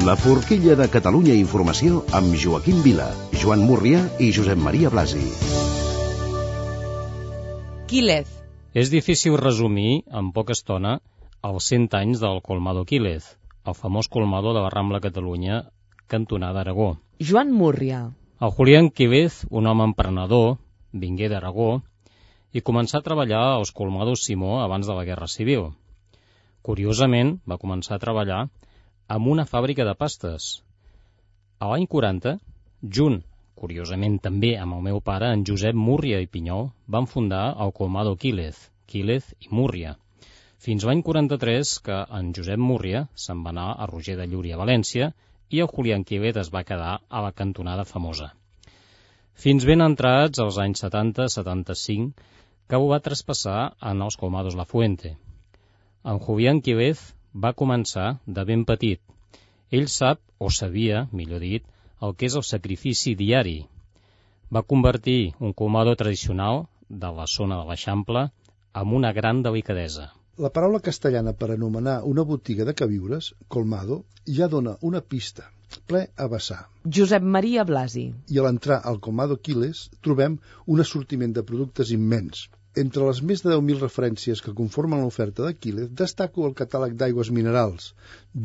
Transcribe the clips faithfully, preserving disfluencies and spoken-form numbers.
La forquilla de Catalunya Informació amb Joaquim Vila, Joan Múrria i Josep Maria Blasi. Quílez. És difícil resumir, en poca estona, els cent anys del Colmado Quílez, el famós colmado de la Rambla Catalunya, cantonada Aragó. Joan Múrria. El Julián Quílez, un home emprenedor, vingué d'Aragó i començà a treballar als colmados Simó abans de la Guerra Civil. Curiosament, va començar a treballar amb una fàbrica de pastes. A l'any quaranta, junt, curiosament també amb el meu pare, en Josep Múrria i Pinyol, van fundar el Colmado Quílez, Quílez i Múrria. Fins l'any quaranta-tres que en Josep Múrria se'n va anar a Roger de Llúria, a València, i el Julián Quílez es va quedar a la cantonada famosa. Fins ben entrats als anys setanta setanta-cinc, que ho va traspassar en els Colmados La Fuente. En Julián Quílez va començar de ben petit. Ell sap, o sabia, millor dit, el que és el sacrifici diari. Va convertir un colmado tradicional de la zona de l'Eixample amb una gran delicadesa. La paraula castellana per anomenar una botiga de queviures, colmado, ja dona una pista, ple a vessar. Josep Maria Blasi. I a l'entrar al Colmado Quílez trobem un assortiment de productes immens. Entre les més de deu mil referències que conformen l'oferta de Quílez, destaco el catàleg d'aigües minerals,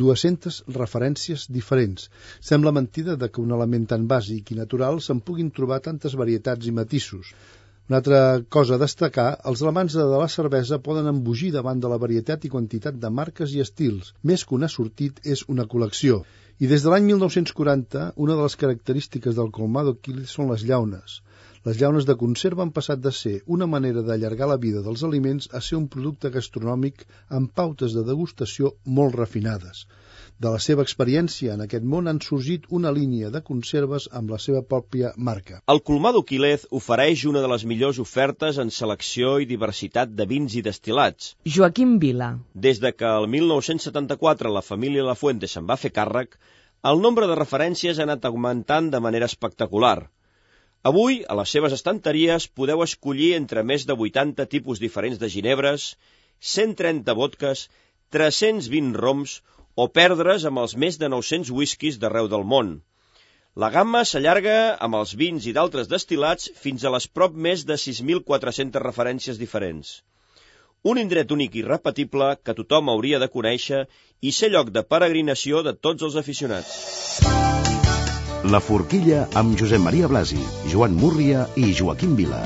dues-centes referències diferents. Sembla mentida de que un element tan bàsic i natural se'n puguin trobar tantes varietats i matisos. Una altra cosa a destacar, els amants de la cervesa poden embogir davant de la varietat i quantitat de marques i estils. Més que un assortit és una col·lecció. I des de l'any mil nou-cents quaranta, una de les característiques del Colmado Quílez són les llaunes. Les llaunes de conserva han passat de ser una manera d'allargar la vida dels aliments a ser un producte gastronòmic amb pautes de degustació molt refinades. De la seva experiència en aquest món han sorgit una línia de conserves amb la seva pròpia marca. El Colmado Quílez ofereix una de les millors ofertes en selecció i diversitat de vins i destil·lats. Joaquim Vila. Des de que el mil nou-cents setanta-quatre la família La Fuente se'n va fer càrrec, el nombre de referències ha anat augmentant de manera espectacular. Avui, a les seves estanteries, podeu escollir entre més de vuitanta tipus diferents de ginebres, cent trenta vodques, tres-cents vint roms o perdre's amb els més de nou-cents whiskies d'arreu del món. La gamma s'allarga amb els vins i d'altres destil·lats fins a les prop més de sis mil quatre-centes referències diferents. Un indret únic i irrepetible que tothom hauria de conèixer i ser lloc de peregrinació de tots els aficionats. La forquilla amb Josep Maria Blasi, Joan Múrria i Joaquim Vila.